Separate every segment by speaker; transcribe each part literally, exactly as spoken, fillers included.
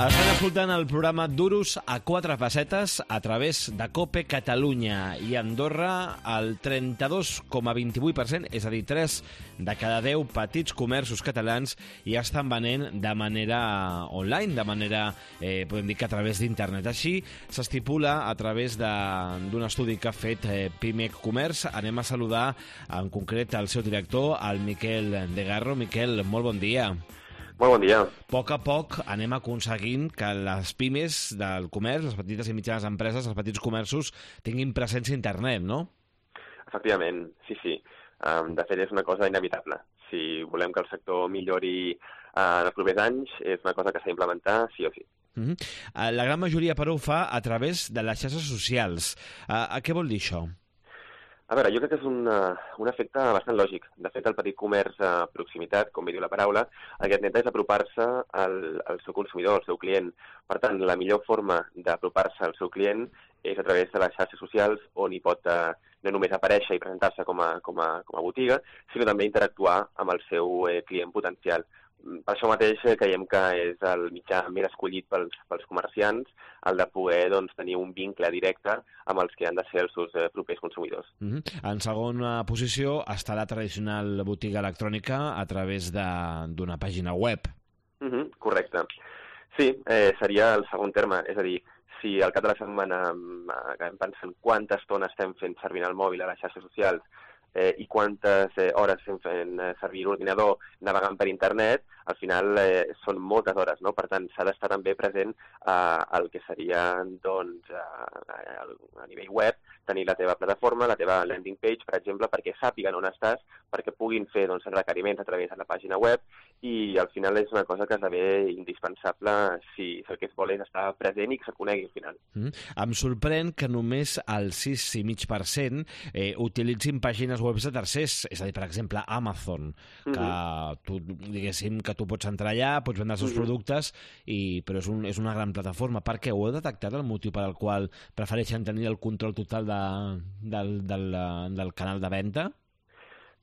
Speaker 1: Estan escoltant el programa Duros a quatre pessetes a través de COPE Catalunya i Andorra el trenta-dos coma vint-i-vuit per cent, és a dir, tres de cada deu petits comerços catalans ja estan venent de manera online, de manera, eh, podem dir que a través d'internet. Així s'estipula a través d'un estudi que ha fet eh, Pimec Comerç. Anem a saludar en concret el seu director, el Miquel de Garro. Miquel, molt bon dia.
Speaker 2: Molt bon dia.
Speaker 1: A poc a poc anem aconseguint que les pimes del comerç, les petites i mitjanes empreses, els petits comerços, tinguin presència a internet, no?
Speaker 2: Efectivament, sí, sí. Um, de fet, és una cosa inevitable. Si volem que el sector millori uh, en els propers anys, és una cosa que s'ha d'implementar sí o sí.
Speaker 1: Uh -huh. uh, la gran majoria, però, ho fa a través de les xarxes socials. Uh, a què vol dir això?
Speaker 2: A veure, jo crec que és un, uh, un efecte bastant lògic. De fet, el petit comerç a proximitat, com bé diu la paraula, el que intenta és apropar-se al, al seu consumidor, al seu client. Per tant, la millor forma d'apropar-se al seu client és a través de les xarxes socials, on hi pot uh, no només aparèixer i presentar-se com a, com a, com a botiga, sinó també interactuar amb el seu eh, client potencial. Per això mateix creiem que és el mitjà més escollit pels, pels comerciants, el de poder doncs, tenir un vincle directe amb els que han de ser els seus eh, propers consumidors.
Speaker 1: Uh-huh. En segona posició està la tradicional botiga electrònica a través d'una pàgina web.
Speaker 2: Uh-huh, correcte. Sí, eh, seria el segon terme, és a dir, si al cap de la setmana acabem pensant quanta estona estem fent servir el mòbil a les xarxes socials eh, i quantes eh, hores estem fent eh, servir l'ordinador navegant per internet, al final eh, són moltes hores, no? Per tant, s'ha d'estar també present eh, el que seria doncs, eh, a nivell web, tenir la teva plataforma, la teva landing page, per exemple, perquè sàpiguen on estàs, perquè puguin fer doncs, requeriments a través de la pàgina web, i al final és una cosa que esdevé indispensable si el que es vol és estar present i que se'l conegui al final.
Speaker 1: Mm. Em sorprèn que només el sis coma cinc per cent eh, utilitzin pàgines web de tercers, és a dir, per exemple, Amazon, que mm-hmm. tu, diguéssim, que tu pots entrar allà, pots vendre els seus mm-hmm. productes, i, però és, un, és una gran plataforma. Per què? Ho heu detectat, el motiu per al qual prefereixen tenir el control total de, del, del, del canal de venda?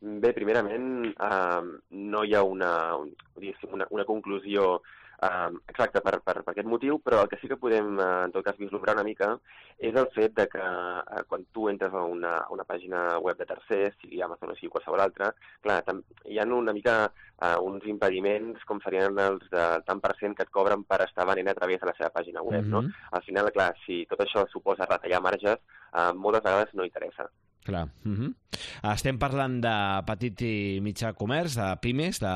Speaker 2: Bé, primerament, eh, no hi ha una, una, una conclusió eh, exacta per, per, per aquest motiu, però el que sí que podem, eh, en tot cas, vislumbrar una mica és el fet de que eh, quan tu entres a una, a una pàgina web de tercers, sigui Amazon o sigui qualsevol altra, clar, hi ha una mica eh, uns impediments com serien els del tant per cent que et cobren per estar venent a través de la seva pàgina web, mm-hmm. no? Al final, clar, si tot això suposa retallar marges, eh, moltes vegades no interessa.
Speaker 1: Clar. Uh-huh. Estem parlant de petit i mitjà comerç, de pimes, de,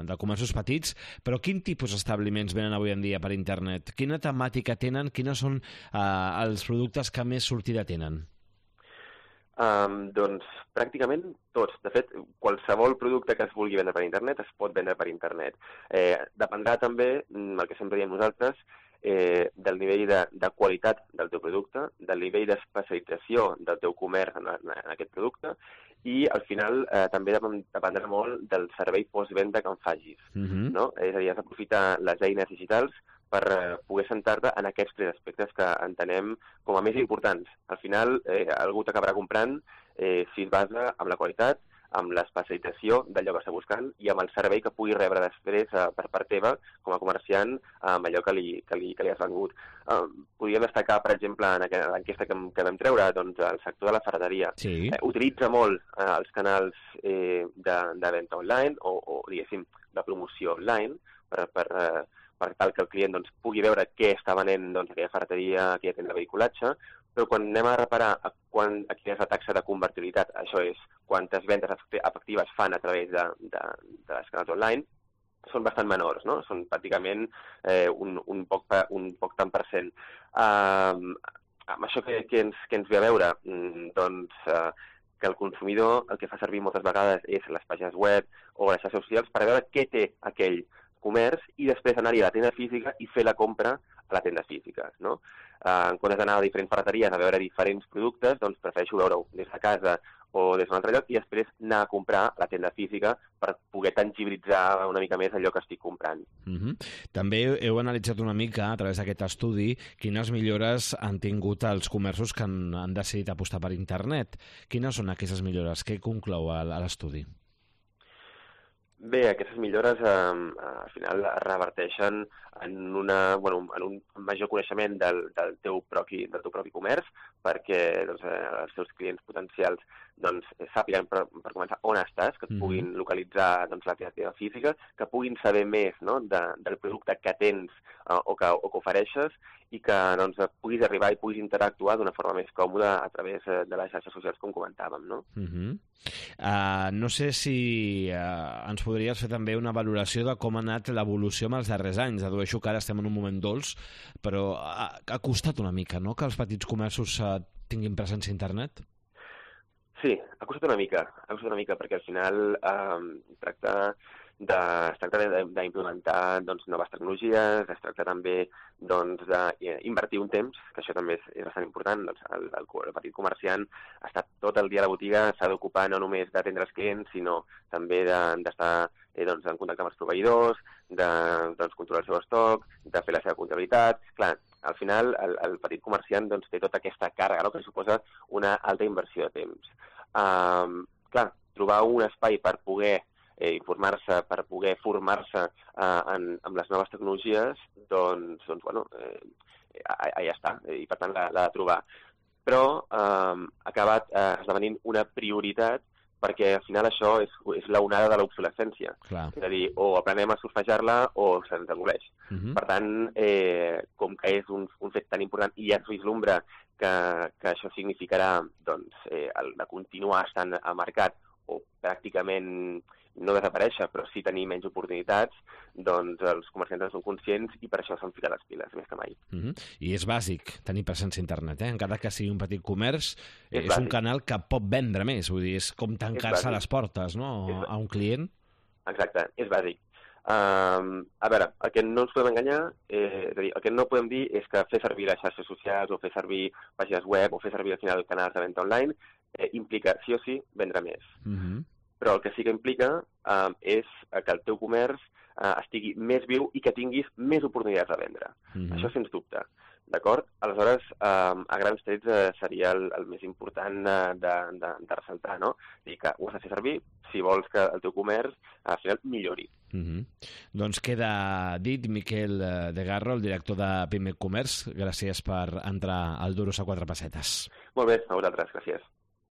Speaker 1: de comerços petits, però quin tipus d'establiments venen avui en dia per internet? Quina temàtica tenen? Quines són uh, els productes que més sortida tenen?
Speaker 2: Um, doncs pràcticament tots. De fet, qualsevol producte que es vulgui vendre per internet es pot vendre per internet. Eh, dependrà també, el que sempre diem nosaltres, Eh, del nivell de, de qualitat del teu producte, del nivell d'especialització del teu comerç en, en, en aquest producte, i al final eh, també dependrà molt del servei postvenda que en facis. Mm-hmm. No? És a dir, has d'aprofitar les eines digitals per eh, poder centrar-te en aquests tres aspectes que entenem com a més importants. Al final, eh, algú t'acabarà comprant eh, si es basa en la qualitat, amb l'especialització d'allò que està buscant i amb el servei que pugui rebre després eh, per part teva com a comerciant amb allò que li, que li, que li has vengut. Eh, podríem destacar, per exemple, en l'enquesta que, que vam treure, doncs, el sector de la ferreteria.
Speaker 1: Sí.
Speaker 2: Eh, utilitza molt eh, els canals eh, de, de venda online o, o, diguéssim, de promoció online per, per, eh, per tal que el client doncs, pugui veure què està venent doncs, aquella ferreteria, aquella tenda de vehiculatge, però quan anem a reparar a, quan, a quina és la taxa de convertibilitat, això és quantes vendes efectives fan a través de, de, de les canals online, són bastant menors, no? Són pràcticament eh, un, un, poc, un poc tant per cent. Uh, amb això que, que, ens, que ens ve a veure, doncs uh, que el consumidor el que fa servir moltes vegades és les pàgines web o les xarxes socials per veure què té aquell comerç i després anar-hi a la tenda física i fer la compra a la tenda física, no? Uh, en comptes d'anar a diferents ferreteries a veure diferents productes, doncs prefereixo veure-ho des de casa o des d'un altre lloc i després anar a comprar a la tenda física per poder tangibilitzar una mica més allò que estic comprant.
Speaker 1: Uh-huh. També heu analitzat una mica, a través d'aquest estudi, quines millores han tingut els comerços que han, han decidit apostar per internet. Quines són aquestes millores? Què conclou a l'estudi?
Speaker 2: Bé, aquestes millores eh, al final reverteixen en, una, bueno, en un major coneixement del, del, teu propi, del teu propi comerç, perquè doncs, eh, els teus clients potencials doncs, sàpiguen per, per començar on estàs, que et puguin mm-hmm. localitzar doncs, la teva activitat física, que puguin saber més, no?, de, del producte que tens eh, o, que, o que ofereixes, i que doncs, puguis arribar i puguis interactuar d'una forma més còmoda a través de les xarxes socials, com comentàvem, no?
Speaker 1: Uh-huh. Uh, no sé si uh, ens podries fer també una valoració de com ha anat l'evolució en els darrers anys. Adueixo que ara estem en un moment dolç, però ha, ha costat una mica, no?, que els petits comerços uh, tinguin presència a internet?
Speaker 2: Sí, ha costat una mica, ha costat una mica, perquè al final eh, tracta de, es tracta d'implementar doncs, noves tecnologies, es tracta també doncs, d'invertir un temps, que això també és, és bastant important. Doncs, el, el, el petit comerciant està tot el dia a la botiga, s'ha d'ocupar no només d'atendre els clients, sinó també d'estar de, eh, doncs, en contacte amb els proveïdors, de doncs, controlar el seu estoc, de fer la seva comptabilitat. Clar, al final el, el petit comerciant doncs, té tota aquesta càrrega, no?, que suposa una alta inversió de temps. Um, clar, trobar un espai per poder eh, informar-se, per poder formar-se eh, en, en les noves tecnologies, doncs, doncs bueno, eh, allà està, i per tant l'ha de trobar. Però eh, ha acabat eh, esdevenint una prioritat, perquè al final això és, és l'onada de l'obsolescència. És a dir, o aprenem a surfejar-la o se'ns engoleix. Uh-huh. Per tant, eh, com que és un, un fet tan important i ja es vislumbra que, que això significarà doncs, eh, el de continuar estant al mercat o pràcticament no desaparèixer, però sí tenir menys oportunitats, doncs els comerciants en són conscients i per això s'han ficat les piles, més que mai.
Speaker 1: Uh-huh. I és bàsic tenir presència a internet, eh? Encara que sigui un petit comerç, és, és un canal que pot vendre més, vull dir, és com tancar-se les portes, no?, a un client.
Speaker 2: Exacte, és bàsic. Uh, a veure, el que no ens podem enganyar, eh, és a dir, el que no podem dir és que fer servir les xarxes socials o fer servir pàgines web o fer servir al final canals de venda online eh, implica sí o sí vendre més. Uh-huh. Però el que sí que implica eh, és que el teu comerç eh, estigui més viu i que tinguis més oportunitats de vendre. Uh-huh. Això sens dubte. D'acord? Aleshores, eh, a grans trets eh, seria el, el més important eh, de, de, de ressaltar, no? És dir, que ho has de fer servir si vols que el teu comerç al final millori.
Speaker 1: Uh-huh. Doncs queda dit. Miquel de Garro, el director de Pimec Comerç, gràcies per entrar al Duros a quatre pessetes.
Speaker 2: Molt bé, a vosaltres, gràcies.